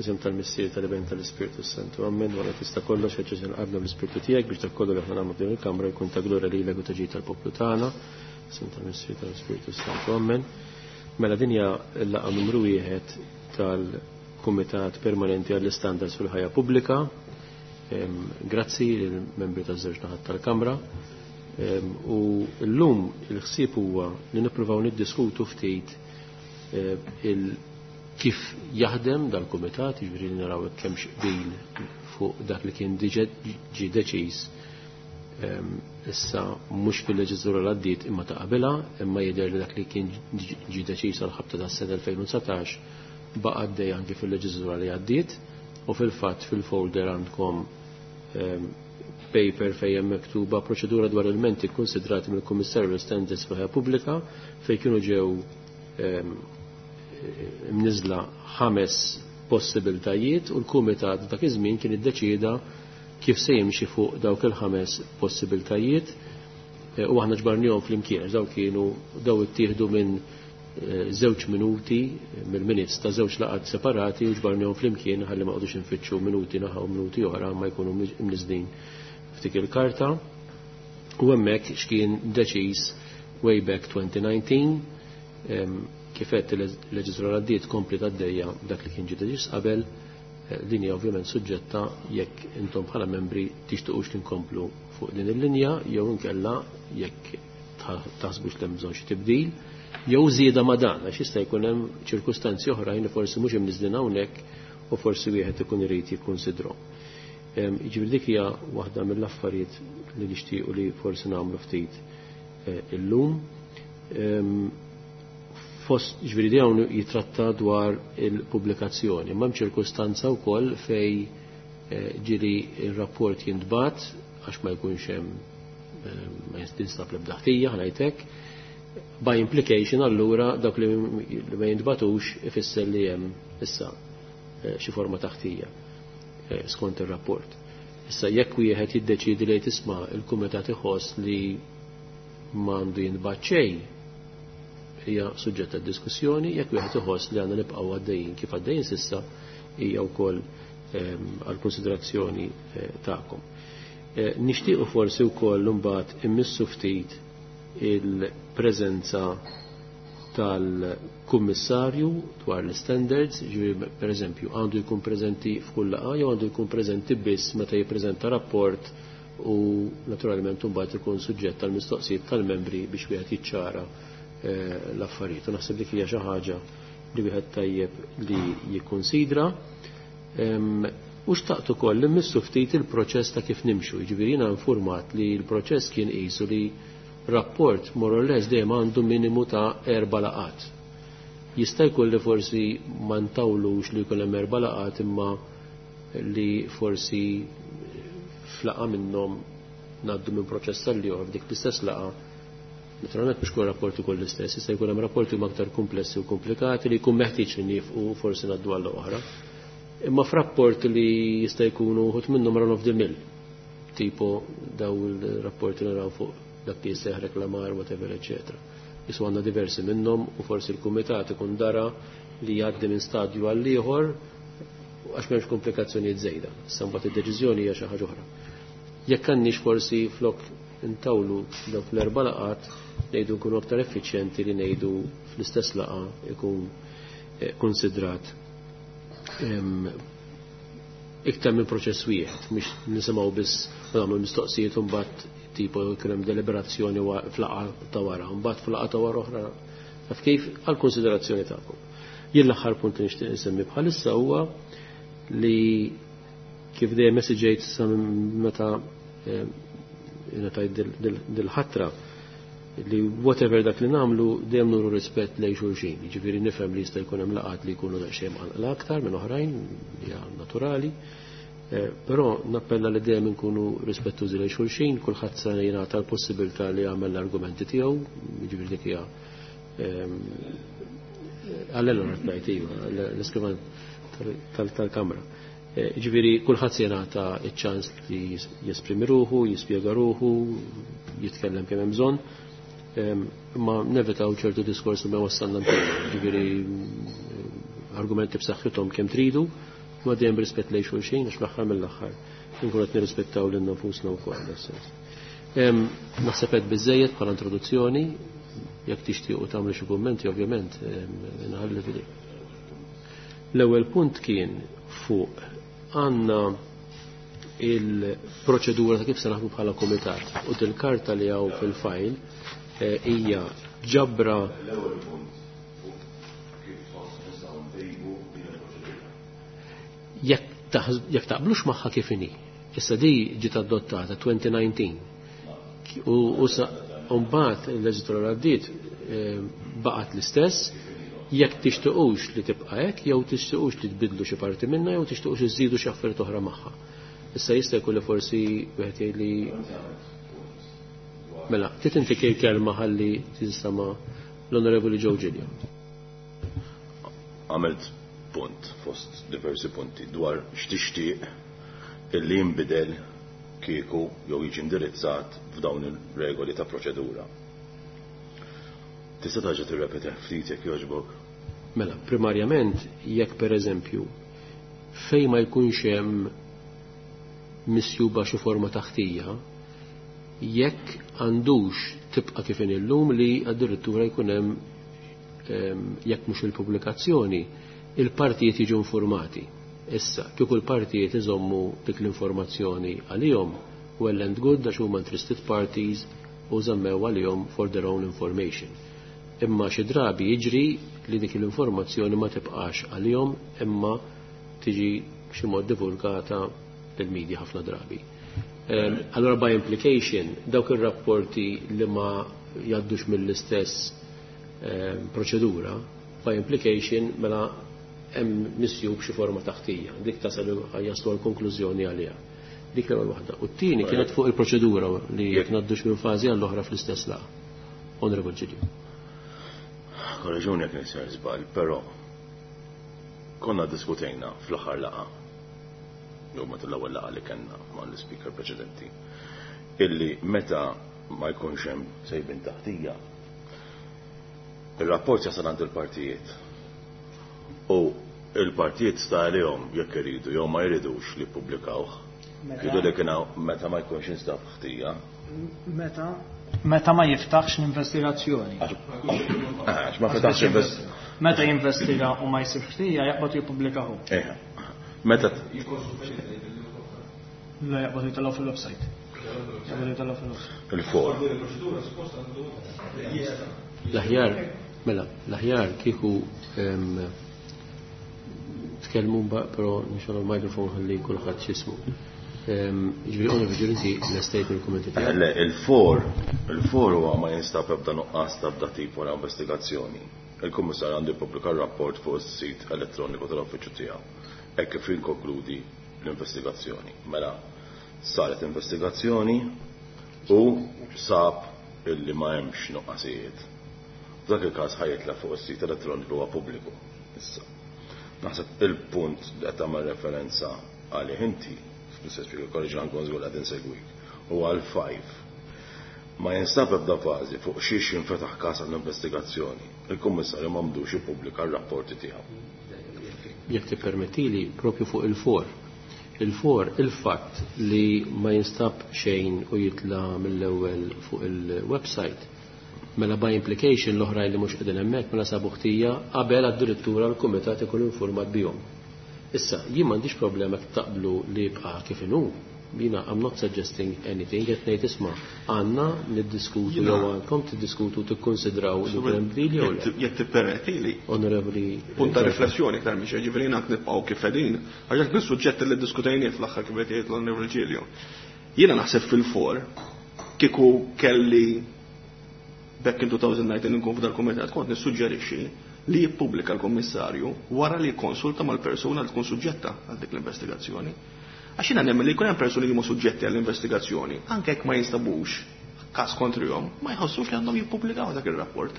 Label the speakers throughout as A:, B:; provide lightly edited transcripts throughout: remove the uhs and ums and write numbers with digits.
A: Isem tal-Missier tal-Iben tal-Ispirtu Santu. Amen. Wara tista' kollox ħeġġeġ qalbna bl-Ispirtu tiegħek biex dak kollu li aħna nagħmlu f'din il-kamra jkun ta' glorja lilek u ta' ġid tal-poplu tagħna. Isem tal-Missier tal-Ispirtu Santu. Amen. Mela din hija l-laqgħa numru wieħed tal-Kumitat Permanenti għall-Istandards fil-Ħajja Pubblika. Grazzi lill-membri taż-żewġ naħat tal-Kamra. U llum il-ħsieb huwa li nippruvaw niddiskutu ftit il kif jaħdem dal-kumitat, jiġifieri li naraw hekk hemmx qbil fuq dak li kien diġà ġie deċiż issa mhux fil-leġiżlatura l għaddiet imma ta' qabilha, imma jidher li dak li kien ġie deċiż għal ħabta tas-sena 2019 baqa' għaddej anki fil-leġiżlatura li għaddiet u fil-fatt fil-folder għandkom paper fejn hemm miktuba proċedura dwar ilmenti kkunsidrati mill-Kummissarju l-Standards fil-Ħajja Pubblika fejn kienu ġew mniżla ħames possibiltajiet u l-kumitat dak iż-żmien kien iddeċieda kif se jimxi fuq dawk il-ħames possibiltajiet eh, u aħna ġbarnihom flimkien għax dawk kienu daw ittieħdu minn eh, żewġ minuti mill-minutes ta' żewġ laqgħat separati u ġbarnihom flimkien ħalli ma qogħdux infittxu minuti naħa u minuti oħra ma jkunu mniżlin f'dik il-karta. U hemmhekk x'kien deċiż way back 2019 Kif għedt il-leġiżlatura għaddiet kompliet għaddejja b'dak li kien ġie deċiż qabel. Din hija ovvjament suġġetta jekk intom bħala membri tixtiqux li nkomplu fuq din il-linja jew inkella jekk taħsbux li hemm bżonn xi tibdil jew żieda ma' dan għax jista' jkun hemm ċirkustanzi oħrajn li forsi mhux imniżżlin hawnhekk u forsi wieħed ikun irid jikkunsidrhom. Jiġifieri dik hija waħda mill-affarijiet li nixtiequ li forsi nagħmlu ftit illum. Fost, ġifieri dawn jitratta dwar il-pubblikazzjoni, imma hemm ċirkustanza wkoll fej ġieli r-rapport jintbagħat għax ma jkunx hemm ma jinstab l-ebda ħtija, ħa ngħid hekk. By implication allura dawk li ma jintbatux ifisser li hemm issa xi forma ta' ħtija skont ir-rapport. Issa jekk wieħed jiddeċiedi li tisma' il-kumitat iħoss li m'għandu jintbagħat xejn, hija suġġett ta' diskussjoni, jekk wieħed iħoss li għandna nibqgħu għaddejjin kif għaddejjin s'issa hija wkoll għal konsiderazzjoni tagħkom. Nixtiequ forsi wkoll imbagħad immissu ftit il-preżenza tal-kummissarju dwar l-standards, ġifieri per eżempju għandu jkun preżenti f'kull laqgħa jew għandu jkun preżenti biss meta jippreżenta rapport u naturalment imbagħad ikun suġġett tal-mistoqsijiet tal-membri biex wieħed jiċċara l-affarijiet. U naħseb dik hija xi ħaġa li wieħed tajjeb li jikkunsidra. U xtaqt ukoll li mmissu ftit il-proċess ta' kif nimxu. Jiġifieri jiena informat li l-proċess kien qisu li rapport more or less dejjem għandu minimu ta' erba' laqgħat. Jista' jkun li forsi ma ntawlux li jkun hemm erba' laqgħat imma li forsi f'laqgħa minnhom ngħaddu minn proċess tal-ieħor f'dik l-istess laqgħa. Naturalment mhux kull rapport ikun l-istess, jista' jkun hemm rapporti huma aktar komplessi u komplikati li jkun meħtieġ li niefqu forsi ngħaddu għal oħra. Imma f'rapport li jista' jkunu wħud minnhom run of the mill, tipo daw il-rapporti naraw fuq dak li jisseħ reklamar, whatever, eccetera. Jisu għandna diversi minnhom u forsi l-kumitat ikun dara li jgħaddi minn stadju għal ieħor għax m'hemmx komplikazzjonijiet żejda. Issa mbagħad id-deċiżjoni hija xi ħaġa oħra. Jekk għandniex forsi flok intawlu dawk l-erba' laqgħat ngħidu nkunu aktar effiċjenti li ngħidu fl-istess laqgħa ikun konsidrat iktar minn proċess wieħed, mhux nisimgħu biss u nagħmlu mistoqsijiet u mbagħad tipo jkun hemm deliberazzjoni f'laqgħa ta' wara, mbagħad f'laqgħa ta' wara oħra. Taf kif għal konsiderazzjoni tagħkom. Jien l-aħħar punt li nixtieq insemmi bħalissa huwa li kif dejjem messagejt sa meta ngħatajt dil-ħatra li whatever dak li nagħmlu dejjem nuru rispett lejn xulxin. Jiġifieri nifhem li jista' jkun hemm laqgħat li jkunu daqsxejn mqanqla aktar minn oħrajn, hija naturali. Però nappella li dejjem inkunu rispettużi lejn xulxin, kulħadd se jingħata l-possibilità li jagħmel l-argumenti tiegħu, jiġifieri dik hija għall-ellora ngħid iva, l-iskrivan tal-Kamra. Ġifieri kulħadd se jingħata ċ-ċans li jesprimi ruħu, jispjega ruħu, jitkellem kemm hemm bżonn. Imma nevitaw ċertu diskors li ma wassalna ġifieri argumenti b'saħħithom kemm tridu, Imma dejjem b'rispett lejn xulxin għax fl-aħħar mill-aħħar inkunu qed nirrispettaw lilna nfusna wkoll das-sens. Naħseb qed biżejjed bħala introduzzjoni, jekk tixtiequ tagħmlu xi kummenti ovvjament inħalli f'idejk. L-ewwel punt kien fuq għandna il-proċedura ta' kif se naħdmu bħala kumitat u dil-karta li hawn fil-fajl eh, hija ġabra
B: L-ewwel punt fuq kif tħoss nistgħu ntejbu din il-proċedura.
A: Jekk taqblux magħha kif inhi. Issa di ġiet adottata 2019. U mbagħad il-leġislatura għaddiet eh, baqgħet l-istess jekk tixtiqux li tibqa' hekk jew tixtiqux li tbidlu xi parti minnha jew tixtiqux iżidu xi affarijiet oħra magħha. Issa jista' jkun li forsi wieħed jgħid li Mela, trid inti kelma ħalli tinstama' l-Onorevoli Joe Giglio.
B: Għamilt punt fost diversi punti dwar x'tixtieq illi jinbidel kieku jew jiġi indirizzat f'dawn il-regoli ta' proċedura. Tista' terġa' tirrepetih ftit jekk jogħġbok?
A: Mela, primarjament jekk pereżempju fejn ma jkunx hemm misjuba xi forma ta' ħtija, jekk għandux tibqa' kif inhi llum li addirittura jkun hemm jekk mhux il-pubblikazzjoni, il-partijiet jiġu informati. Issa, kieku l-partijiet iżommu dik l-informazzjoni għalihom, well and good għax huma interested parties u żammew għalihom for their own information. Imma xi drabi jiġri li dik l-informazzjoni ma tibqax għalihom imma tiġi b'xi mod divulgata lill-media ħafna drabi. Allora by implication, dawk ir-rapporti li ma jgħaddux mill-istess proċedura, by implication mela hemm misjub xi forma ta' ħtija. Dik tasal jaslu għal konklużjoni għaliha. Dik l-ewwel waħda. U t-tieni kienet fuq il-proċedura li jekk ngħaddux minn fażi għall-oħra fl-istess laqgħa. Honorable Giglio.
B: Korreġuni jekk nisir żball, però konna diskutejna fl-aħħar laqgħa, jew meta l-ewwel laqgħa li kellna mal-speaker preċedenti, illi meta ma jkunx hemm sejbin taħtija, il-rapport jasal għand il-partijiet. U il-partijiet sta għalihom jekk iridu jew ma jridux li ppubblikawh. Jridu li kien meta ma jkunx instab ħtija.
C: Meta ma jiftaħx l-investigazzjoni.
B: Għax ma fetaħx investigazzjoni.
C: Meta jinvestiga u ma jsib ħtija jaqbad jippubblikahu.
B: Eħe. Meta
C: La jaqbad jitellgħu fil-website. Jaqbad jitellgħu fil-website.
B: Il-for.
A: L-aħjar, mela, l-aħjar kieku tkellmu però nixgħol il-mikrofon ħalli kulħadd x'ismu. Ġifieri Onorevoli Giglio inti lestejt il-kummenti tiegħek.
B: Le, il-for huwa ma jinstab ebda nuqqas ta' ebda tip wara investigazzjoni. Il-Kummissarju għandu jippubblika r-rapport fuq is-sit elettroniku tal-uffiċċju tiegħu. Hekk kif jinkonkludi l-investigazzjoni. Mela, saret investigazzjoni u sab illi ma hemmx nuqqasijiet. F'dak il-każ ħajitla fuq is-sit elettroniku huwa pubbliku. Issa. Naħseb il-punt li qed tagħmel referenza għalih inti, Mr. Speaker, korreġi nkun żgur qed insegwik, huwa għal 5. Ma jinstab ebda fażi fuq xiex jinfetaħ każ għall-investigazzjoni. Il-Kummissarju m'għandux jippubblika r-rapporti tiegħu.
A: Jekk tippermettili propju fuq il-for. Il-for, il-fatt li ma jinstab xejn u jitla mill-ewwel fuq il-website, mela by implication l-oħrajn li mhux qegħdin hemmhekk mela sabu ħtija qabel addirittura l-kumitat ikun informat bihom. Issa, jien m'għandix problema jekk taqblu li jibqa' kif inhu. Jiena I'm not suggesting anything, qed ngħid isma' għandna niddiskutu jew għandkom tiddiskutu tikkonsidraw li hemm bdil jew le.
D: Jekk tippermettili.
A: Onorevoli
D: Punt ta' riflessjoni iktar mhix, ġifieri ngħid nibqgħu kif qegħdin, għax dak is-suġġett li ddiskutejnieh fl-aħħar kif qed jgħid l-Onorevoli Giglio. Jiena naħseb fil-for kieku kelli back in 2019 nkun f'dal kumitat kont nissuġġerixxi li jippubblika l-Kummissarju wara li jikkonsulta mal-persuna li tkun suġġetta għal dik l-investigazzjoni. Għax jiena nemmen li jkun hemm persuni li huma suġġetti għall-investigazzjoni, anke jekk ma jinstabux każ kontrihom, ma jħossux li għandhom jippubblikaw dak ir-rapport.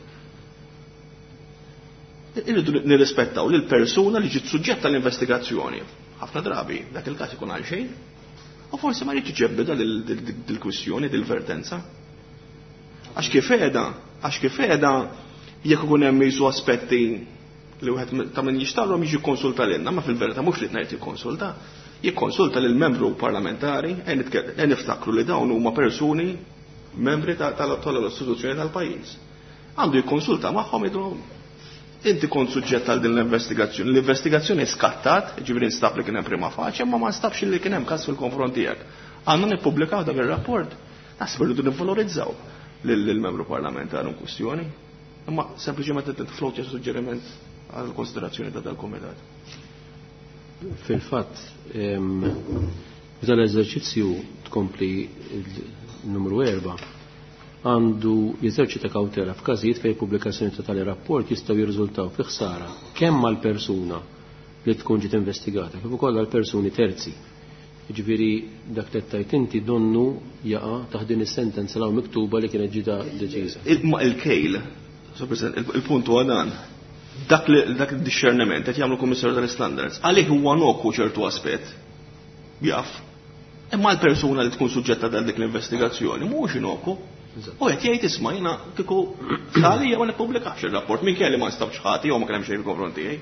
D: Irridu nirrispettaw lil persuna li ġiet suġġetta għall-investigazzjoni. Ħafna drabi dak il-każ ikun għal xejn. U forsi ma rridx iġebbida dil-kwistjoni, dil-vertenza. Għax kif qiegħda, għax kif qiegħda jekk ikun hemm jisu aspetti Li wieħed ta' min jixtarhom jiġi konsulta lilna, ma fil-verità mhux li ngħid jikkonsulta, jikkonsulta lil membru parlamentari e niftakru li dawn huma persuni membri tal-istituzzjoni tal-pajjiż. Għandu jikkonsulta magħhom jgħidu inti kont suġġett għal din l-investigazzjoni. L-investigazzjoni skattat, ġifieri nstab li kien hemm prima facie, ma ma nstabx li kien hemm każ fil-konfront tiegħek. Għandna nippubblikaw dak ir-rapport. Naħseb irridu nivvalorizzaw lill-membru parlamentari in kwistjoni. Imma sempliċement qed tiflowtja suġġeriment għal konsiderazzjoni ta' dal-kumitat.
A: Fil-fatt, f'dan l-eżerċizzju tkompli numru 4 għandu jeżerċita kawtela f'każijiet fejn pubblikazzjoni ta' tali rapport jistgħu jirriżultaw fi ħsara kemm għal persuna li tkun ġiet investigata kif ukoll għal persuni terzi. Jiġifieri dak li tajt inti donnu jaqa' taħt din is-sentenza law miktuba li kienet ġieta deċiża.
D: Ma il-kejl, il-punt huwa dan, dak il-discerniment qed jagħmlu kummissarju tal-standards, għalih huwa noku ċertu aspett. Jaf. Imma l-persuna li tkun suġġetta għal dik l-investigazzjoni mhuwiex inoku. U qed jgħid isma' jiena kieku għalija ma nippubblikax ir-rapport minkejja li ma nstabx ħati jew ma kien hemm xejn fil-konfront tiegħi.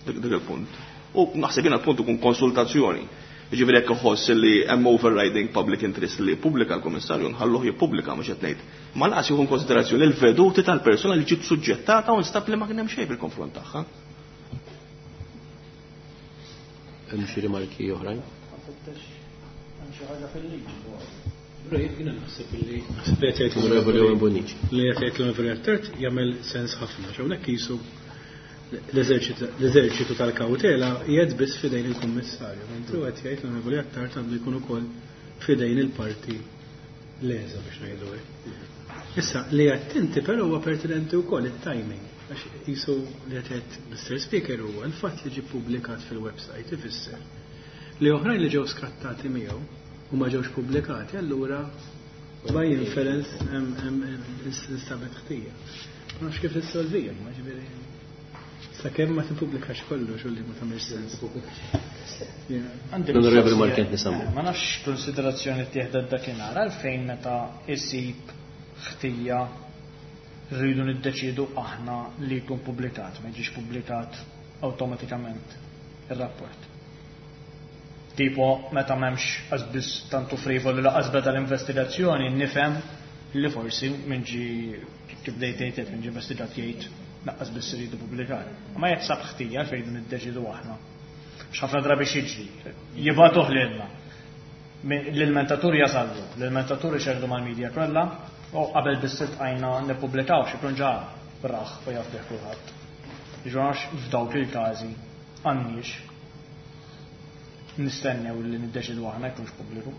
D: Dik il-punt. U naħseb jiena l-punt ikun konsultazzjoni. Jiġifieri jekk iħoss li hemm overriding public interest li jippubblika l-kummissarju nħalluh jippubblika mhux qed ngħid. Ma laqas jieħu konsiderazzjoni l-veduti tal-persuna li ġiet suġġettata u nstab li ma kien hemm xejn fil-konfront tagħha.
A: Hemm xi rimarki oħrajn?
C: Hemm xi ħaġa fil-liġi dwar.
E: Però jiena naħseb li naħseb li qed jgħid
A: Onorevoli Owen Bonnici.
E: Li qed jgħid l-Onorevoli Attard jagħmel sens ħafna. Hawnhekk qisu l-eżerċitu tal-kawtela qiegħed biss f'idejn il-Kummissarju, mentri qed jgħid l-Onorevoli Attard għandu jkun ukoll f'idejn il-parti leża biex ngħidu hekk. Issa li qed inti però huwa pertinenti wkoll it-timing, għax qisu li qed jgħid Mr. Speaker huwa l-fatt li ġie ppubblikat fil-website ifisser li oħrajn li ġew skattati miegħu u ma ġewx pubblikati, allura by inference instabet ħtija. Ma nafx kif issolvija, ma ġifieri sakemm ma tippubblikax kollox u li ma tagħmilx sens.
C: Għandi
A: L-Onorevoli
C: mistoqsija.
A: Markent nisammu.
C: Ma nafx konsiderazzjoni tieħdet dakinhar għalfejn meta isib ħtija rridu niddeċidu aħna li jkun pubblikat, ma jiġix pubblikat awtomatikament ir-rapport. Tipo meta m'hemmx qasbis tantu frivoli laqas beda l-investigazzjoni nifhem li forsi minn ġi kif bdejt tgħid minn ġi investigat jgħid naqqas biss iridu pubblikar. Ma jekk sab ħtija għalfejn niddeċidu aħna. X'ħafna drabi xiġri, jibgħatuh lilna. L-ilmentatur jasallu, l-ilmentatur ixerdu mal-medja kollha, u qabel biss iltqajna nippubblikaw xi jkun ġa raħ u jaf bih kulħadd. Ġonax f'dawk il-każi għandniex nistennew li niddeċidu aħna jkunx pubbliku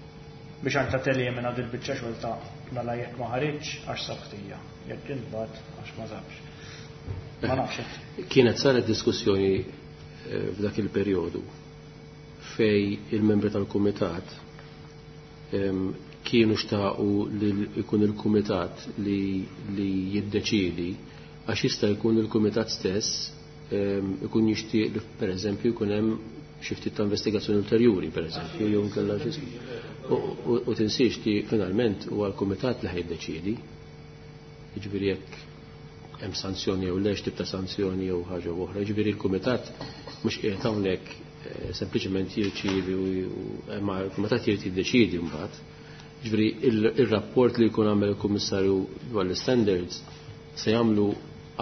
C: biex anka telimina dil biċċa xogħol ta' mela jekk ma ħareġ għax sab ħtija, jekk intbagħat għax ma sabx. Ma nafx.
A: Kienet saret diskussjoni f'dak il-perjodu fej il-membri tal-kumitat kienu xtaqu li jkun il-kumitat li jiddeċiedi għax jista' jkun il-kumitat stess ikun jixtieq li pereżempju jkun hemm xi ftit ta' investigazzjoni ulterjuri pereżempju jew inkella xi u tinsiex li finalment huwa l-kumitat li ħajiddeċiedi. Jiġifieri jekk hemm sanzjoni jew le x'tip ta' sanzjoni jew ħaġa oħra. Jiġifieri l-kumitat mhux qiegħed hawnhekk sempliċement jirċievi ma l-kumitat jrid jiddeċiedi mbagħad. Jiġifieri ir-rapport li jkun għamel il-Kummissarju dwar l-standards se jagħmlu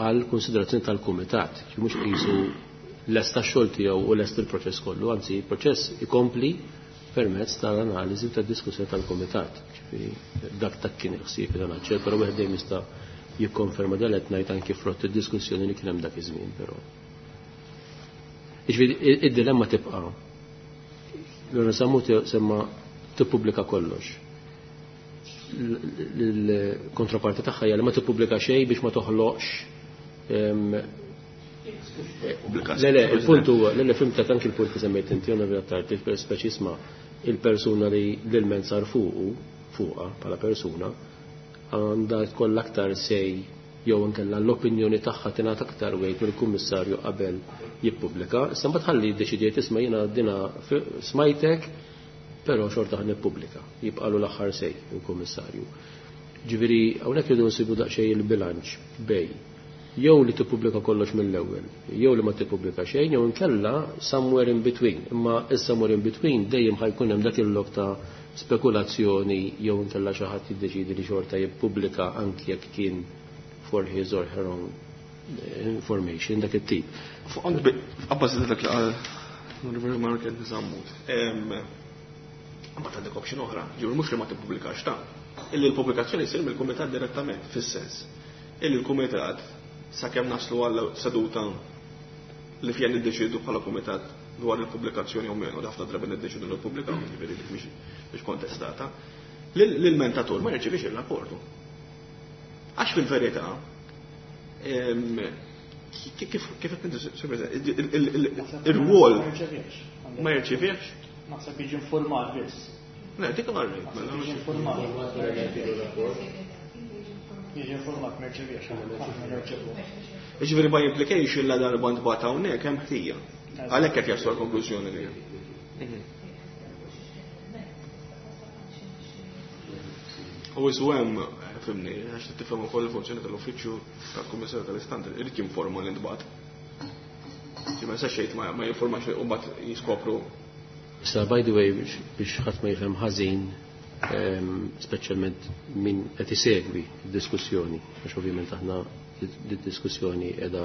A: għal konsiderazzjoni tal-kumitat, mhux qisu lest tax-xogħol tiegħu u lest il-proċess kollu, anzi il-proċess ikompli permezz tal-analiżi u tad-diskussjoni tal-kumitat. Ġifieri dak tak kien il-ħsieb dan aċċell, però wieħed dejjem jista' jikkonferma dan qed ngħid anki frott id-diskussjoni li kien hemm dak iż-żmien, però. Ġifieri id-dilemma tibqa'. L-ewwel semmu semma tippubblika kollox. L-kontraparti tagħha hija li ma tippubblika xejn biex ma toħloqx Le, le, il-punt huwa, le, le, fimtek anki il-punt li semmejt inti, Onorevoli Attard, speċi isma' il-persuna li l-ilment sar fuqha bħala persuna, għandha tkollha aktar sej jew inkella l-opinjoni tagħha tingħata aktar wejt mill-kummissarju qabel jippubblika. Issa mbagħad ħalli jiddeċidiet isma' jiena dina smajtek, però xorta ħan nippubblika, jibqalu l-aħħar sej il-kummissarju. Ġifieri hawnhekk irridu nsibu daqsxejn il-bilanċ bej Jew li tippubblika kollox mill-ewwel, jew li ma tippubblika xejn, jew inkella somewhere in between. Imma is-somewhere in between dejjem ħa jkun hemm dak il-lok ta' spekulazzjoni jew inkella xi ħadd jiddeċidi li xorta jippubblika anki jekk kien for his or her own information, dak it-tip.
D: Abbażi ta' dak li qal l-Onorevoli Mark Zammut. Mbagħad għandek option oħra, ġifieri mhux li ma tippubblikax ta' illi l-pubblikazzjoni jsir mill-kumitat direttament, fis-sens illi l-kumitat sakemm naslu għal seduta li fiha niddeċidu bħala kumitat dwar il-pubblikazzjoni u menu, ħafna drabi niddeċidu li pubblikaw, ġifieri dik mhix kontestata, l-mentatur ma jirċevix il-rapportu. Għax fil-verità, kif qed ir-rwol ma jirċevix?
C: Naħseb jiġi informat biss.
D: Le, dik għarri.
C: Mela. Jiġi informat. Jiġi informat ma jirċevix, aħna nirċevu.
D: Ġifieri by implication la darba ntbagħat hawnhekk hemm ħtija. Għalhekk qed jaslu l-konklużjoni li. U isu hemm, fimni, għax tifhem ukoll il-funzjoni tal-uffiċċju tal-Kummissarju tal-Istandard, irid jinforma li ntbagħat. Ġi ma jistax jgħid ma jinformax u mbagħad jiskopru.
A: Issa by the way biex ħadd ma jifhem ħażin, speċjalment min qed isegwi d-diskussjoni, għax ovvjament aħna d-diskussjoni qiegħda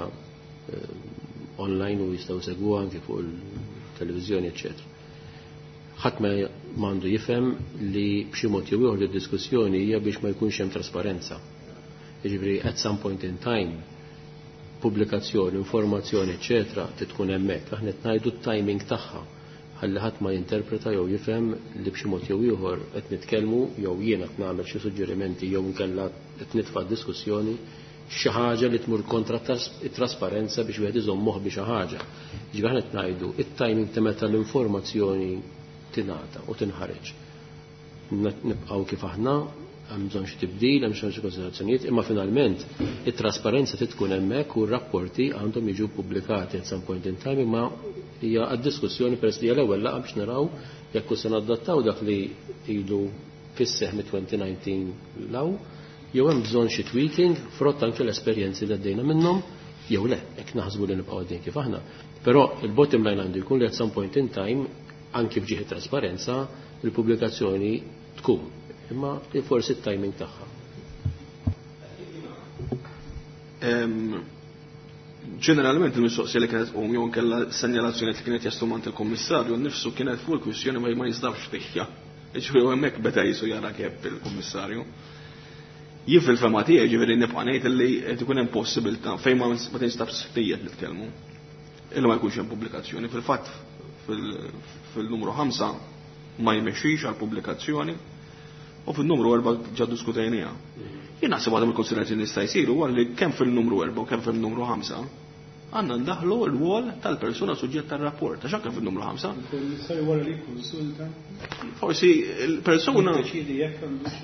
A: online u jistgħu segwuha anke fuq il-televiżjoni, eċċetera. Ħadd ma m'għandu jifhem li b'xi mod jew ieħor id-diskussjoni hija biex ma jkunx hemm trasparenza. Jiġifieri at some point in time pubblikazzjoni, informazzjoni, eċċetera, tkun hemmhekk. Aħna qed ngħidu t-timing tagħha ħalli ħadd ma jinterpreta jew jifhem li b'xi mod jew ieħor qed nitkellmu jew jiena qed nagħmel xi suġġerimenti jew inkella qed nitfa' diskussjoni xi ħaġa li tmur kontra it-trasparenza biex wieħed iżomm moħħ bi xi ħaġa. Ġifieri aħna qed ngħidu it-timing ta' meta l-informazzjoni tingħata u tinħareġ. Nibqgħu kif aħna, hemm bżonn xi tibdil, hemm bżonn xi konsiderazzjonijiet, imma finalment it-trasparenza trid tkun hemmhekk u r-rapporti għandhom jiġu pubblikati at some point in time, imma hija għad-diskussjoni peress li hija l-ewwel laqgħa biex naraw jekk se nadattaw dak li ilu fis-seħħ mit-2019 law, jew hemm bżonn xi tweaking frott anke l-esperjenzi li għaddejna minnhom, jew le, jekk naħsbu li nibqgħu għaddejn kif aħna. Però il-bottom line għandu jkun li at some point in time, anki f'ġieħ trasparenza, il-pubblikazzjoni tkun, imma forsi t-timing tagħha.
D: Ġeneralment il-mistoqsija li kienet tqum jew inkella senjalazzjoni li kienet jaslu mant il-kummissarju nnifsu kienet fuq il-kwistjoni ma jinstabx ħtija. Ġifieri hemmhekk beda jisu jara kif il-kummissarju. Jien fil-fema tiegħi ġifieri nibqa' ngħid li qed ikun hemm possibilità fejn ma tinstabx ħtija nitkellmu. Illi ma jkunx hemm pubblikazzjoni. Fil-fatt fil-numru 5 ma jmexxix għal pubblikazzjoni u fil-numru 4 ġa diskutejniha. Jien naħseb għadhom il-konsiderazzjoni jista' jsiru huwa li kemm fil-numru 4 u kemm fil-numru 5 għandna ndaħlu l-wol tal-persuna suġġett tar-rapport, għax anke fil-numru 5.
E: Il-kummissarju wara li jikkonsulta.
D: Forsi l-persuna
E: Jiddeċiedi jekk għandux.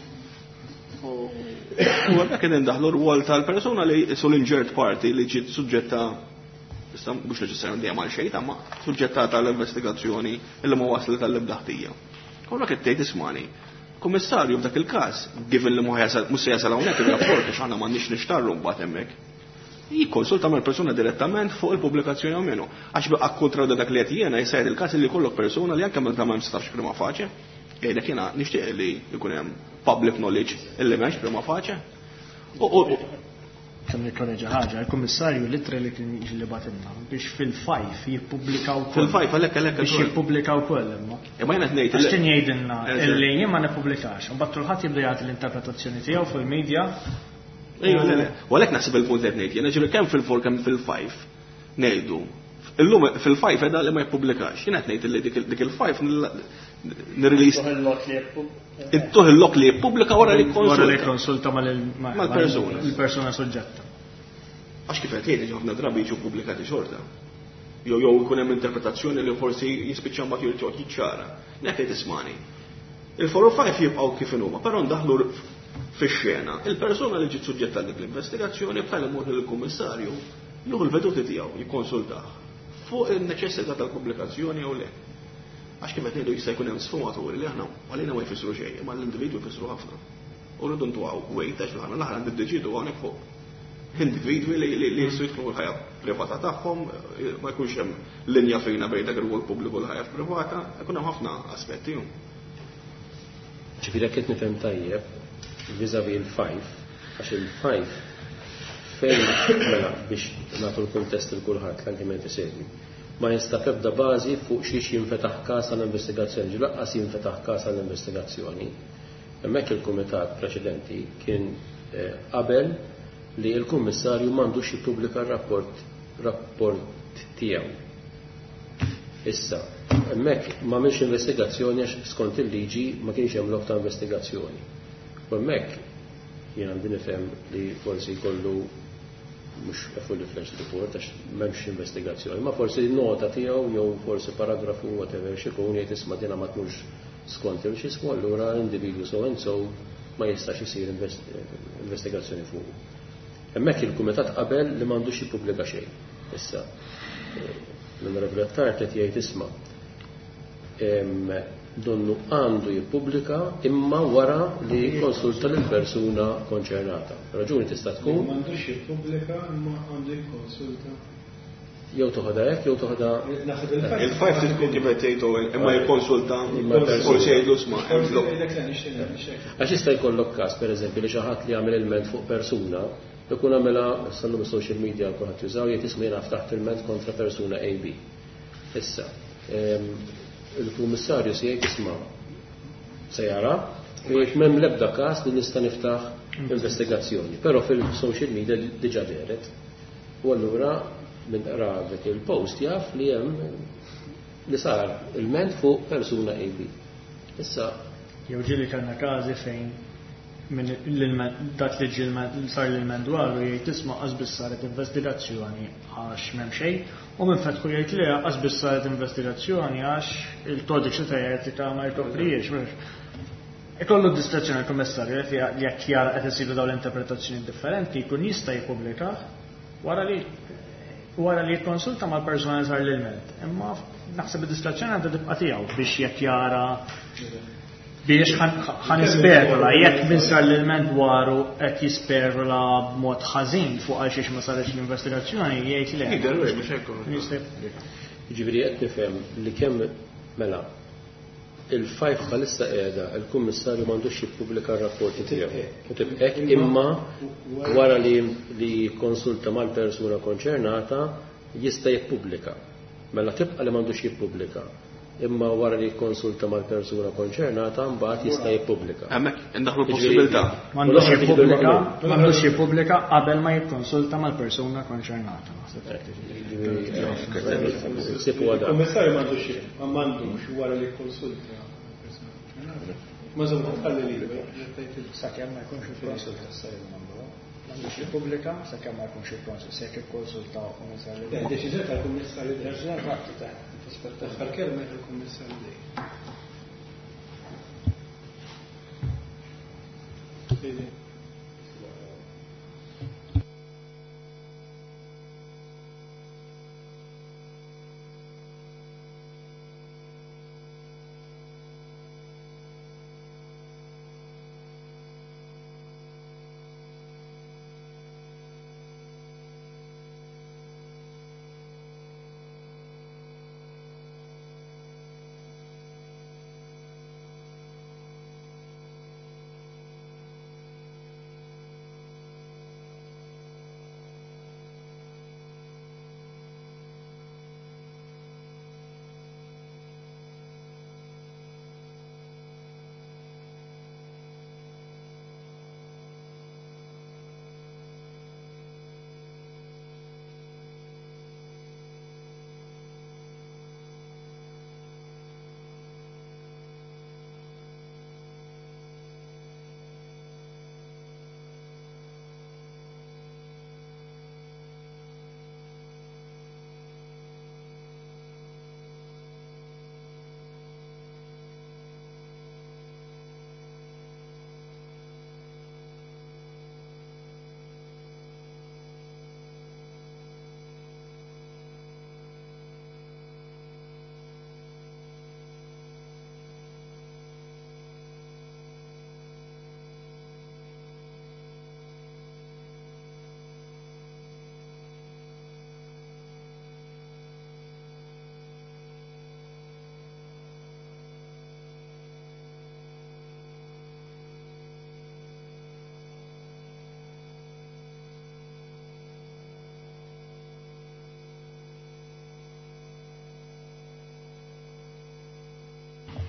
D: U hemmhekk qed indaħlu r-wol tal-persuna li sul injured party li ġiet suġġetta, issa mhux neċessarjament dejjem għal xejn, ma suġġetta tal-investigazzjoni illi ma waslet tal-ebda ħtija. Kollha qed tgħid ismani. Kummissarju f'dak il-każ, given li mhux se jasal hawnhekk ir-rapport għax aħna m'għandniex nixtarru mbagħad hemmhekk. Jikkonsulta mal-persuna direttament fuq il-pubblikazzjoni jew menu. Għax baqgħa kontra dak li qed jiena jsejħ il-każ li jkollok persuna li anke meta ma jistax prima facie, jgħidlek jiena nixtieq li jkun hemm public knowledge illi m'hemmx prima facie.
C: Kemm nikkoreġa ħaġa, il-kummissarju litra li kien jiġi li batilna biex fil-5 jippubblikaw ukoll.
D: Fil-5 għalhekk għalhekk
C: Biex jippubblikaw ukoll imma.
D: Imma jiena qed ngħid
C: Għax kien jgħidilna illi jien ma nippubblikax, imbagħad kulħadd jibda jagħti l-interpretazzjoni tiegħu fil-media.
D: Ejja, le, le. U għalhekk naħseb il-punt qed ngħid, jiena ġifieri kemm fil-4 kemm fil-5 ngħidu. Illum fil-5 qiegħda li ma jippubblikax. Jiena qed ngħid li dik il-5 nirrelease.
C: Tuħ il-lok li jippubblika.
D: Tuħ il-lok li jippubblika wara li
C: Wara li
D: jikkonsulta.
C: jikkonsulta
D: Mal-persuna.
C: mal-persuna soġġetta.
D: Għax kif qed jgħid ħafna drabi jiġu pubblikati xorta. Jew jew ikun hemm interpretazzjoni li forsi jispiċċa mbagħad jirġgħu jiċċara. Nek qed tismani. Il-4 u 5 jibqgħu kif inhuma, però ndaħlu fix-xena. Il-persuna li ġiet suġġetta għal dik l-investigazzjoni b'tali mod li l-kummissarju jieħu l-veduti tiegħu jikkonsultah fuq in-neċessità tal-pubblikazzjoni jew le. Għax kif qed ngħidu jista' jkun hemm sfumaturi li aħna għalina ma jfissru xejn, imma l-individwu jfissru ħafna. U rridu ntugħu wejt għax aħna l-aħħar niddeċidu hawnhekk fuq. individwi li jistgħu jidħlu l-ħajja privata tagħhom, ma jkunx hemm linja fina bejn dak ir-rwol pubbliku u l-ħajja privata, ikun hemm ħafna aspetti.
A: Ġifieri jekk qed nifhem tajjeb vis-à-vis il-five, għax il-five fejn mela biex nagħtu l-kuntest lil kulħadd l-anke min qed isegwi. Ma jinstab ebda bażi fuq xiex jinfetaħ każ għal investigazzjoni, ġifieri lanqas jinfetaħ każ għal investigazzjoni. Hemmhekk il-kumitat preċedenti kien qabel li l-Kummissarju m'għandux jippubblika r-rapport rapport tiegħu. Issa, hemmhekk m'għamilx investigazzjoni għax skont il-liġi ma kienx hemm lok ta' investigazzjoni. U hemmhekk jien għandi nifhem li forsi jkollu mhux a fully fledged report għax m'hemmx investigazzjoni, ma forsi nota tiegħu jew forsi paragrafu whatever x'ikun jgħid isma' dina ma tmurx skont il x'ismu allura individwu so and so ma jistax isir investigazzjoni fuqu. Hemmhekk il-kumitat qabel li m'għandux jippubblika xejn. Issa, l-Onorevoli Attard qed jgħid isma' donnu għandu jippubblika imma wara li jikkonsulta lill-persuna konċernata. Raġuni tista' tkun.
E: M'għandux jippubblika imma għandu jikkonsulta.
A: Jew toħodha hekk jew toħodha.
D: Il-five trid tkun kif qed tgħid Owen, imma jikkonsulta forsi jgħidlu isma' hemm lok.
A: Għax jista' jkollok każ pereżempju li xi ħadd li għamel ilment fuq persuna ikun għamilha issa llum is-social media kulħadd jużaw jgħid isma' jiena ftaħt ilment kontra persuna AB. Issa, il-kummissarju se jgħid isma' se jara u jgħid m'hemm l-ebda każ li nista' niftaħ investigazzjoni. Però fil-social media diġà dehret. U allura min qra dak il-post jaf li hemm li sar ilment fuq persuna AB. Issa
C: Jew ġieli kellna każi fejn minn l-ilment dak li ġie sar l-ilment dwaru jgħid isma' qas biss saret investigazzjoni għax m'hemm xejn u minn fetħu jgħid le qas biss saret investigazzjoni għax il-kodiċi ta' etika ma jkoprijiex. Ikollu d-diskrezzjoni l-Kummissarju li jekk jara qed isiru dawn l-interpretazzjoni differenti jkun jista' jippubblikah wara li wara li jikkonsulta mal-persuna li sar l-ilment. Imma naħseb id-diskrezzjoni għandha tibqa' tiegħu biex jekk jara biex ħa nispekula jekk min sar l-ilment dwaru qed jispekula b'mod ħażin fuq għal xiex ma saritx l-investigazzjoni jgħid le.
D: Jidher mhux hekk.
C: Jista' jippubblika.
A: Jiġifieri qed nifhem li kemm mela il-five bħalissa qiegħda il-Kummissarju m'għandux jippubblika r-rapporti tiegħu. U tibqa' hekk imma wara li jikkonsulta mal-persuna konċernata jista' jippubblika. Mela tibqa' li m'għandux jippubblika. Imma wara li jikkonsulta mal-persuna konċernata mbagħad jista' jippubblika.
D: Hemmhekk indaħħlu l-possibilità.
C: M'għandux jippubblika, m'għandux jippubblika qabel ma jikkonsulta mal-persuna konċernata.
E: Il-Kummissarju m'għandux m'għandux wara li jikkonsulta mal-persuna konċernata. Ma żomm tħalli liberu.
C: Sakemm ma jkunx ikkonsulta s-sajju nagħmluha. M'għandux jippubblika sakemm ma jkunx ikkonsulta, se jekk ikkonsulta u ma sar.
E: Deċiżjoni tal-Kummissarju.
C: Deċiżjoni tal-Kummissarju.
E: Aħħar kelma tal-Kummissarju dejjem.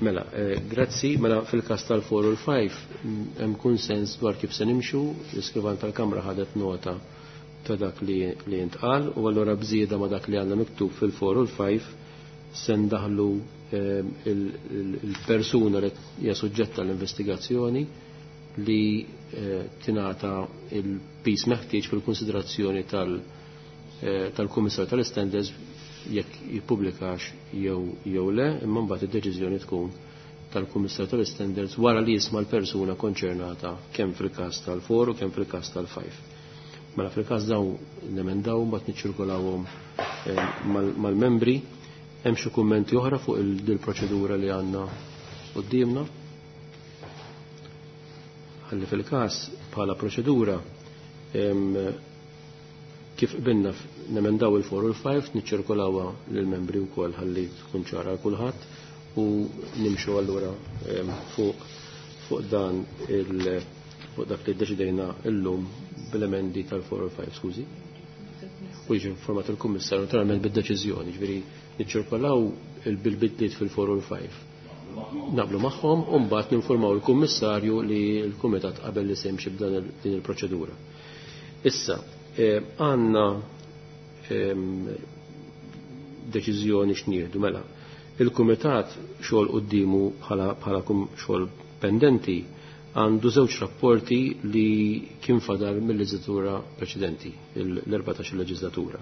A: Mela, grazzi, mela fil-każ tal-4 u l-5 hemm kunsens dwar kif se nimxu, l-iskrivan tal-Kamra ħadet nota ta' dak li intqal u allura bżieda ma' dak li għandna miktub fil-4 u l-5 se ndaħlu il-persuna li hija suġġetta l-investigazzjoni li tingħata il-pis meħtieġ fil-konsiderazzjoni tal-Kummissar tal-Standards jekk jippubblikax jew le, imma mbagħad id-deċiżjoni tkun tal-Kummissar tal-Standards wara li jisma' l-persuna konċernata kemm fil-każ tal-4 u kemm fil-każ tal-5. Mela fil-każ dawn nemendaw mbagħad niċċirkulawhom mal-membri. Hemm xi kummenti oħra fuq il-proċedura li għandna quddiemna? Ħalli fil-każ bħala proċedura kif qbilna nemendaw il-4 u l-5 niċċirkulawha lill-membri wkoll ħalli tkun ċara għal kulħadd u nimxu allura fuq dan il fuq dak li ddeċidejna llum bil-emendi tal-4 u l-5, skużi. U jiġi informat il-Kummissarju naturalment bid-deċiżjoni, ġifieri niċċirkolaw bil-bidliet fil-4 u l-5. Naqblu magħhom u mbagħad ninformaw il-Kummissarju li l-Kumitat qabel li se jimxi b'dan din il-proċedura. Issa, għandna deċiżjoni x'nieħdu mela. Il-Kumitat xogħol quddiemu bħala xogħol pendenti għandu żewġ rapporti li kien fadal mill-leġislatura preċedenti, l-14 leġislatura,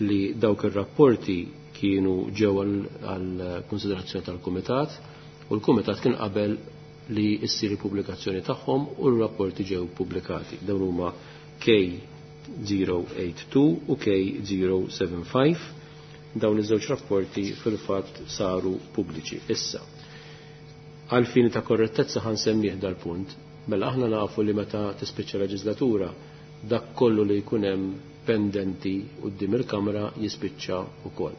A: li dawk ir-rapporti kienu ġew għal konsiderazzjoni tal-Kumitat u l-Kumitat kien qabel li issir il-pubblikazzjoni tagħhom u r-rapporti ġew pubblikati. Dawn huma K082 u K075. Dawn iż-żewġ rapporti fil-fatt saru pubbliċi. Issa, għal fini ta' korrettezza ħan semmih dal-punt, mela aħna nafu li meta tispiċċa leġislatura dak kollu li jkun hemm pendenti quddiem il-Kamra jispiċċa wkoll.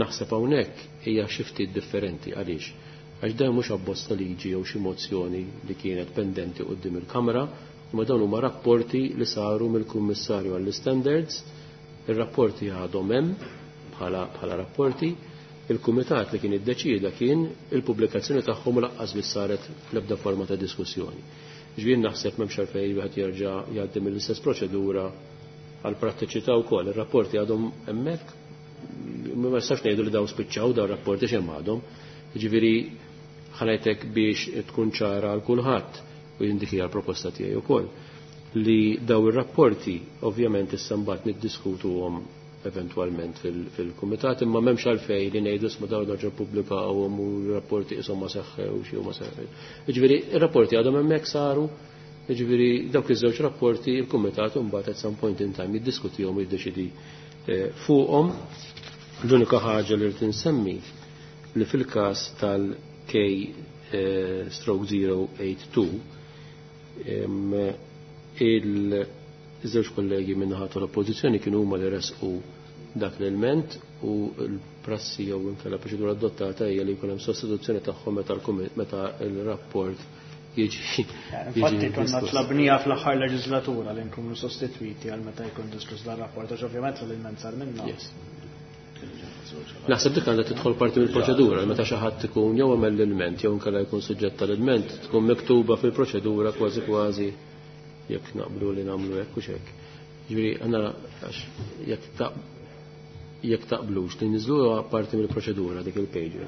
A: Naħseb hawnhekk hija xi ftit differenti għaliex għax dan mhux abbozz ta' liġi jew xi mozzjoni li kienet pendenti quddiem il-Kamra, imma dawn huma rapporti li saru mill-Kummissarju għall-Standards, ir-rapporti għadhom hemm bħala rapporti, il-kumitat li kien iddeċieda kien il-pubblikazzjoni tagħhom u laqqas biss saret l-ebda forma ta' diskussjoni. Ġifieri naħseb m'hemmx għalfejn wieħed jerġa' jgħaddi mill-istess proċedura għal prattiċità wkoll. Ir-rapporti għadhom hemmhekk, ma nistax ngħidu li dawn spiċċaw dawn rapporti x'hemm għadhom. Ġifieri ħanajtek biex tkun ċara għal kulħadd u jindiki għal proposta tiegħi wkoll li daw ir-rapporti ovvjament issa mbagħad niddiskutuhom eventwalment fil-kumitat, imma m'hemmx għalfejn li ngħidu isma' dawn nerġa' ppubblikawhom u r-rapporti qishom ma seħħew xi ma seħħew. Jiġifieri ir-rapporti għadhom hemmhekk saru, jiġifieri dawk iż-żewġ rapporti il-kumitat imbagħad at some point in time jiddiskutihom u jiddeċidi fuqhom. L-unika ħaġa li rrid insemmi li fil-każ tal-K stroke 082 il-żewġ kollegi minnaħa tal-oppożizzjoni kienu huma li resqu dak l-ilment u l-prassi jew inkella proċedura adottata hija li jkun hemm sostituzzjoni tagħhom meta l-rapport jiġi.
C: Infatti konna tlabnija fl-aħħar leġislatura li nkunu sostitwiti għal meta jkun diskuss dan rapport għax ovvjament l-ilment sar minna.
A: Naħseb dik għandha tidħol parti mill-proċedura meta xi ħadd ikun jew għamel l-ilment jew inkella jkun suġġett tal-ilment tkun miktuba fil-proċedura kważi kważi jekk naqblu li nagħmlu hekk u x'hekk. Ġifieri għandna għax jekk taqblux li niżluha parti mill-proċedura dik il-pager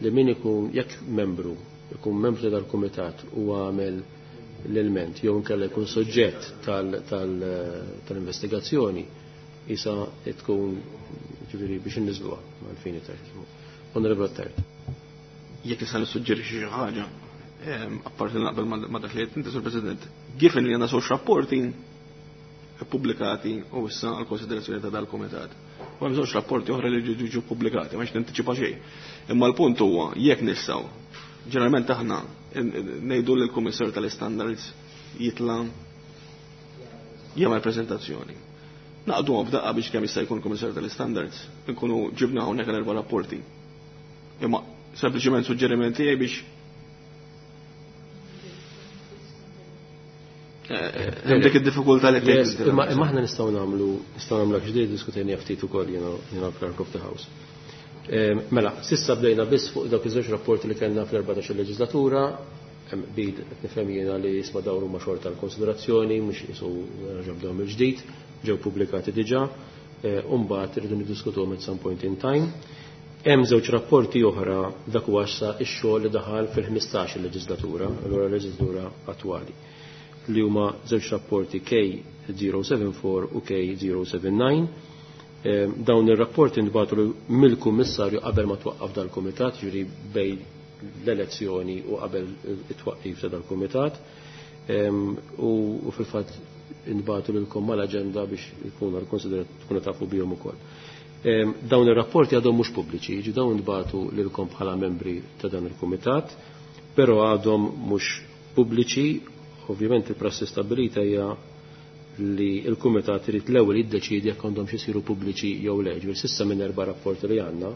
A: li min ikun jekk membru ikun membru tal-kumitat u għamel l-ilment jew inkella jkun soġġett tal-investigazzjoni isa tkun ġifieri biex inniżluha mal-fini tard. Onorevole Attard.
D: Jekk nista' nissuġġerixxi xi ħaġa, apparti naqbel ma' dak li qed inti, Sur President, given li għandna żewġ rapporti pubblikati u issa għal konsiderazzjoni ta' dal-kumitat. U hemm żewġ rapporti oħra li ġew pubblikati, ma nintiċipa xejn. Imma l-punt huwa jekk nistgħu ġeneralment aħna ngħidu lill kummissarju tal-Standards jitla' jagħmel preżentazzjoni. Naqdu f'daqqa biex kemm jista' jkun kummissarju tal-Standards, nkunu ġibna hawnhekk l-erba' rapporti. Imma sempliċement suġġeriment tiegħi biex hemm dik id-diffikultà li
A: tgħid. Imma aħna nistgħu nagħmlu nistgħu nagħmlu ġdid diskutejna ftit ukoll jiena clerk of the house. Mela, sissa bdejna biss fuq dawk iż-żewġ rapporti li kellna fl-14 leġislatura, hemm qbil qed nifhem jiena li jisma' dawn huma xorta l-konsiderazzjoni mhux qisu nerġa' bdew mill-ġdid, ġew pubblikati diġà, u mbagħad irridu niddiskutuhom at some point in time. Hemm żewġ rapporti oħra dak huwa issa x-xogħol li daħal fil-15 leġislatura, allura l-leġislatura attwali, li huma żewġ rapporti K074 u K079. Dawn ir-rapporti ntbagħtu mill-Kummissarju qabel ma twaqqaf dal-Kumitat, ġifieri bejn l-elezzjoni u qabel it-twaqqif ta' dal-Kumitat. U fil-fatt intbagħtu lilkom mal-aġenda biex ikunu tkunu tafu bihom ukoll. Dawn ir-rapporti għadhom mhux pubbliċi, jiġi dawn intbagħtu lilkom bħala membri ta' dan il-Kumitat, però għadhom mhux pubbliċi. Ovvjament il-prassi stabbilita hija li l-Kumitat irid l-ewwel jiddeċiedi jekk għandhom xi jsiru pubbliċi jew le. Ġifieri s'issa minn erba' rapporti li għandna,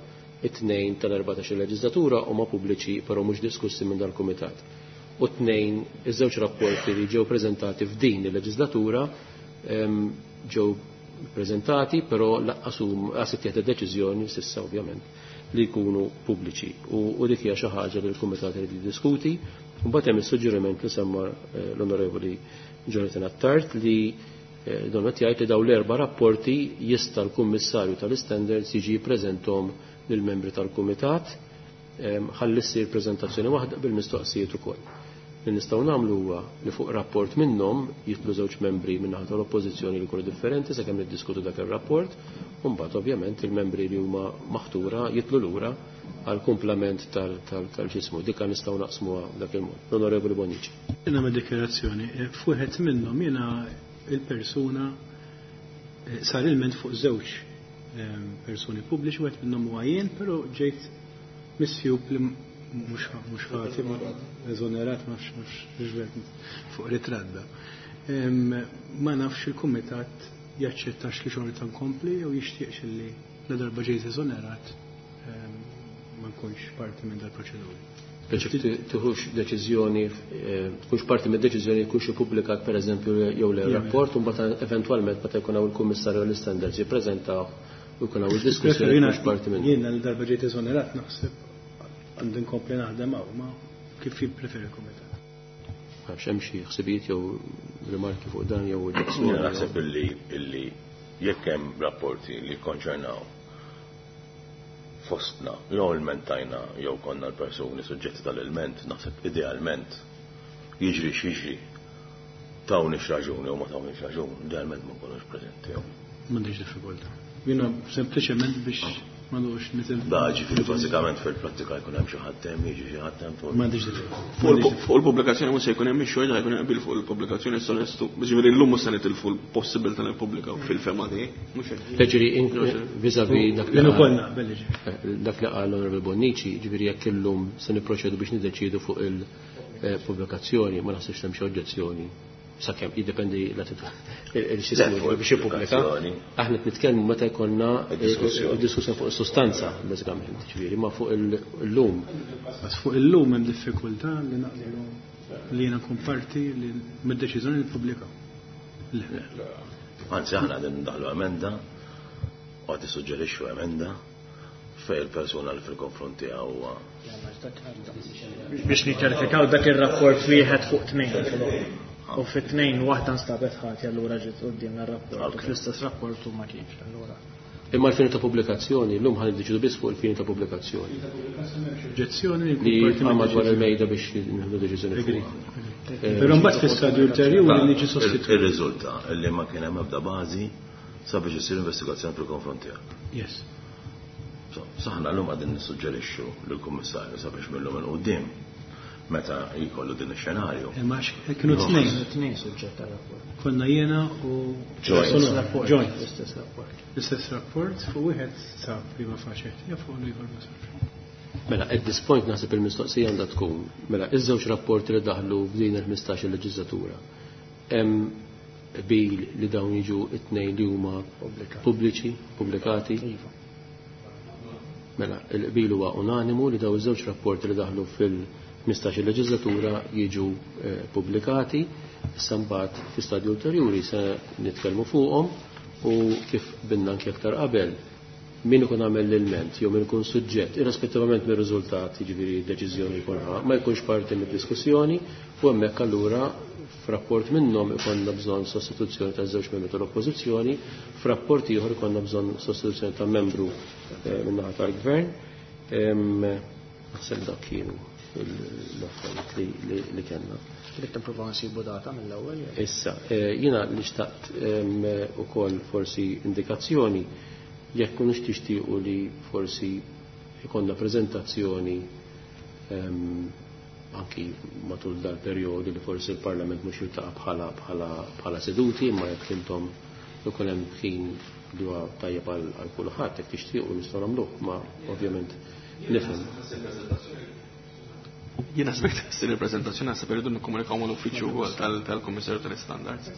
A: it-tnejn tal-14 leġislatura huma pubbliċi però mhux diskussi minn dal-Kumitat. U tnejn iż-żewġ rapporti li ġew preżentati f'din il-leġislatura ġew preżentati però lanqas huma lanqas ittieħdet deċiżjoni s'issa ovvjament li jkunu pubbliċi. U dik hija xi ħaġa li l-Kumitat irid jiddiskuti. Mbagħad hemm is-suġġeriment li semma l-Onorevoli Jonathan Attard li don qed jgħid li dawn l-erba' rapporti jista' l-Kummissarju tal-Standards jiġi jippreżenthom lill-membri tal-Kumitat ħalli ssir preżentazzjoni waħda bil-mistoqsijiet ukoll. Li nistgħu nagħmlu huwa li fuq rapport minnhom jitlu żewġ membri minn naħa tal-Oppożizzjoni li jkunu differenti sakemm niddiskutu dak ir-rapport, u mbagħad ovvjament il-membri li huma maħtura jitlu lura għal kumplament tal-ġismu. Dikka nistgħu naqsmuha dak il-mod. L-Onorevoli Bonnici.
E: Jiena ma' dikjarazzjoni, f'wieħed minnhom jiena il-persuna sar ilment fuq żewġ persuni pubbliċi, wieħed minnhom huwa jien, però ġejt misjub li mhux ħati, ma eżonerat, ma nafx fuq ritratt da. Ma nafx il-kumitat jaċċettax li xorta nkompli jew jixtieqx li la darba ġejt eżonerat ma nkunx parti minn dal-proċeduri.
A: Biex tiħux deċiżjoni, tkunx parti minn deċiżjoni jkunx ippubblikat pereżempju jew le rapport, u mbagħad eventwalment meta jkun hawn il-Kummissarju għall-Istandards jippreżentaw u jkun hawn id-diskussjoni tkunx parti minn.
E: Jiena l darba ġejt eżonerat naħseb għandi nkompli naħdem hawn, ma kif jippreferi l-kumitat.
A: Għax hemm xi ħsibijiet jew rimarki fuq dan jew oġġezzjoni.
B: Jiena naħseb illi jekk hemm rapporti li jikkonċernaw fostna, jew ilmentajna jew konna l-persuni suġġetti tal-ilment, naħseb idealment jiġri x'jiġri tawniex raġuni jew ma tawniex raġun, idealment ma nkunux preżenti.
E: M'għandix diffikultà. Jiena sempliċement biex ma nux nitil.
B: Da, ġifieri bażikament fil-prattika jkun hemm xi ħadd hemm, jiġi xi ħadd hemm fuq.
E: M'għandix diffikultà.
D: Fuq il-pubblikazzjoni mhux se jkun hemm ix-xogħol jkun hemm qbil fuq il-pubblikazzjoni issa nestu. Ġifieri llum mhux se nitilfu l-possibilità li nippubblikaw fil-fema tiegħi. Mhux hekk.
A: Ġifieri vis-à-vis dak li
E: Jien ukoll
A: qal
E: naqbel, ġifieri.
A: Dak li qal l-Onorevoli Bonnici, ġifieri jekk illum se nipproċedu biex niddeċiedu fuq il-pubblikazzjoni, ma naħsibx hemm xi oġġezzjoni. Sakemm jiddependi il-sistema
B: Le, fuq
A: biex jippubblika.
B: il-pubblikazzjoni.
A: Aħna qed nitkellmu meta jkollna
B: Id-diskussjoni.
A: id-diskussjoni fuq is-sustanza, bażikament, ġifieri, ma fuq il-lum.
E: Bas fuq il-lum hemm diffikultà li naqblu li jiena nkun parti li mid-deċiżjoni li nippubblikaw. Le.
B: Anzi, aħna qegħdin ndaħlu emenda u qed issuġġerixxu emenda fej il-persuna li fil-konfront tiegħu huwa.
C: Biex niċċertifikaw dak ir-rapport wieħed fuq tnejn. U fit-tnejn waħda nstabet ħati allura ġiet quddiem ir-rapport.
B: Ok.
C: Fl-istess rapport u ma kienx allura.
A: Imma l-fini ta' pubblikazzjoni, llum ħan niddeċidu biss fuq il-fini ta' pubblikazzjoni.
E: Oġġezzjoni li
A: Li
E: jkun parti
A: għamma
E: mid-deċiżjoni.
A: dwar il-mejda biex nieħdu deċiżjoni
E: Agreed.
A: fuqha.
E: Però mbagħad fl-istadju ulterjuri niġi sostituit.
B: Ir-riżulta li ma kien hemm ebda bażi sabiex isir investigazzjoni fil-konfront tiegħek.
E: Yes.
B: Saħna llum qegħdin nissuġġerixxu lill-Kummissarju sabiex minnhom il quddiem meta jkollu din ix-xenarju.
E: Imma kienu tnejn.
C: Tnejn suġġett tar-rapport.
E: Konna jiena u
B: Joint.
E: Sonora. Joint.
C: L-istess rapport.
E: L-istess rapport fuq wieħed sab prima faċe, ja fuq l-ieħor ma sabx.
A: Mela, at this point naħseb il-mistoqsija għandha tkun, mela, iż-żewġ rapporti li daħlu f'din il-15 il-leġislatura, hemm qbil li dawn jiġu it-tnejn li huma
C: Pubblikati.
A: pubbliċi, pubblikati.
C: Iva.
A: Mela, il-qbil huwa unanimu li daw iż-żewġ rapporti li daħlu fil-15 il-leġislatura jiġu pubblikati, issa mbagħad fi stadju ulterjuri se nitkellmu fuqhom u kif binna anke aktar qabel Min ikun għamel l-ilment jew min ikun suġġett, irrispettivament mir-riżultat, jiġifieri deċiżjoni jkun ħa, ma jkunx parti mid-diskussjoni u hemmhekk allura f'rapport minnhom ikollna bżonn sostituzzjoni ta' żewġ membri tal-Oppożizzjoni, f'rapport ieħor ikollna bżonn sostituzzjoni ta' membru min-naħa tal-Gvern. Naħseb dak kienu l-affarijiet li kellna.
C: Trid nippruvaw nsibu data mill-ewwel?
A: Issa, jiena li xtaqt ukoll forsi indikazzjoni jekk kunux tixtiequ li forsi ikollna preżentazzjoni anki matul dal-perjodu li forsi l-Parlament mhux jiltaqa' bħala seduti, imma jekk intom ikun hemm ħin li huwa tajjeb għal kulħadd, jekk tixtiequ nistgħu nagħmluh, ma ovvjament nifhem.
D: Jiena sbekt ssir il-preżentazzjoni naħseb irridu nikkomunikaw mal-uffiċċju wkoll tal-Kummissarju tal-Istandards.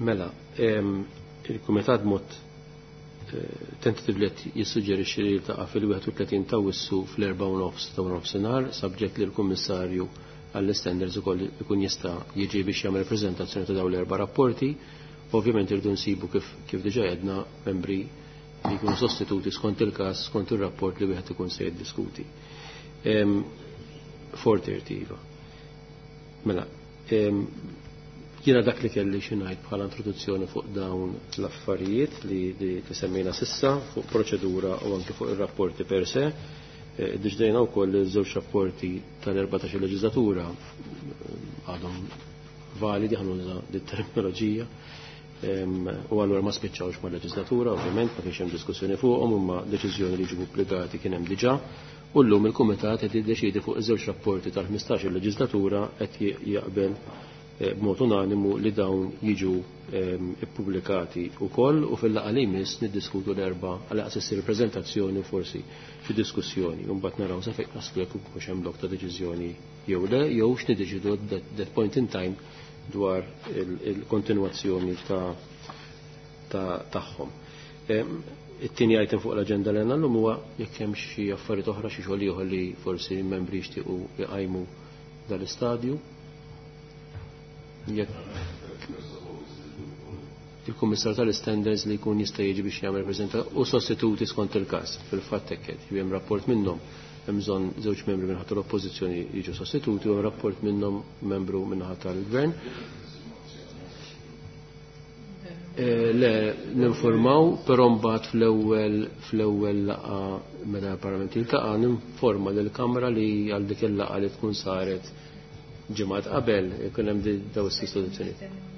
A: Mela, il-Kumitat mod tentatively qed jissuġġerixxi li jiltaqa' fil-31 ta' Awwissu fl-4:30 ta' nofsinhar, subject li l-Kummissarju għall-Standards ukoll ikun jista' jiġi biex jagħmel preżentazzjoni ta' dawn l-erba' rapporti. Ovvjament irridu nsibu kif diġà għedna membri li jkunu sostituti skont il-każ, skont ir-rapport li wieħed ikun se jiddiskuti. 4:30 iva. Mela, jiena dak li kelli xi ngħid bħala introduzzjoni fuq dawn l-affarijiet li semmejna sissa fuq proċedura u anke fuq ir-rapporti per se. Iddeċidejna wkoll li żewġ rapporti tal-14 leġislatura għadhom validi, ħanuża dit-terminoloġija, u allura ma spiċċawx mal-leġislatura, ovvjament ma kienx hemm diskussjoni fuqhom, imma deċiżjoni li ġibu pubblikati kien hemm diġà. U llum il-Kumitat qed jiddeċiedi fuq iż-żewġ rapporti tal-15 leġislatura qed jaqbel b'mod unanimu li dawn jiġu ippubblikati wkoll, u fil-laqgħa li jmiss niddiskutu l-erba' għal aqs issir preżentazzjoni u forsi xi diskussjoni, u mbagħad naraw sa fejn naslu jekk hux hemm lok ta' deċiżjoni jew le, jew x'niddeċidu at that point in time dwar il-kontinwazzjoni tagħhom. It-tieni item fuq l-aġenda li għandna llum huwa jekk hemm xi affarijiet oħra, xi xogħol ieħor li forsi membri jixtiequ iqajmu dal-istadju. Jekk il-Kummissar tal-Standards li jkun jista' jiġi biex jagħmel preżenta u sostituti skont il-każ. Fil-fatt hekk qed hemm rapport minnhom hemm bżonn żewġ membri minn tal-Oppożizzjoni jiġu sostituti u hemm rapport minnhom membru minn tal-Gvern. Le, ninformaw, però mbagħad fl-ewwel fl-ewwel laqgħa meta l-Parlament jiltaqa' ninforma lill-Kamra li għal dik il-laqgħa li tkun saret ġimgħat qabel ikun hemm daw is-sostituzzjonijiet.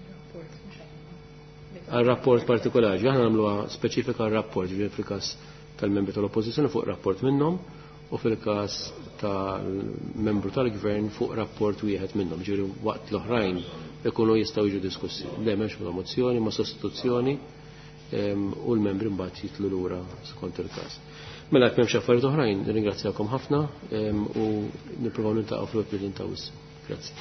A: Għal rapport partikolari, aħna nagħmluha speċifika għal rapport, ġifieri fil-każ tal-membri tal-Oppożizzjoni fuq rapport minnhom u fil-każ tal-membru tal-Gvern fuq rapport wieħed minnhom, ġifieri waqt l-oħrajn ikunu jistgħu jiġu diskussi. Le m'hemmx mozzjoni, ma sostituzzjoni u l-membri mbagħad jitlu lura skont il-każ. Mela jekk m'hemmx affarijiet oħrajn, nirringrazzjakom ħafna u nippruvaw niltaqgħu fl-April ta' Grazzi.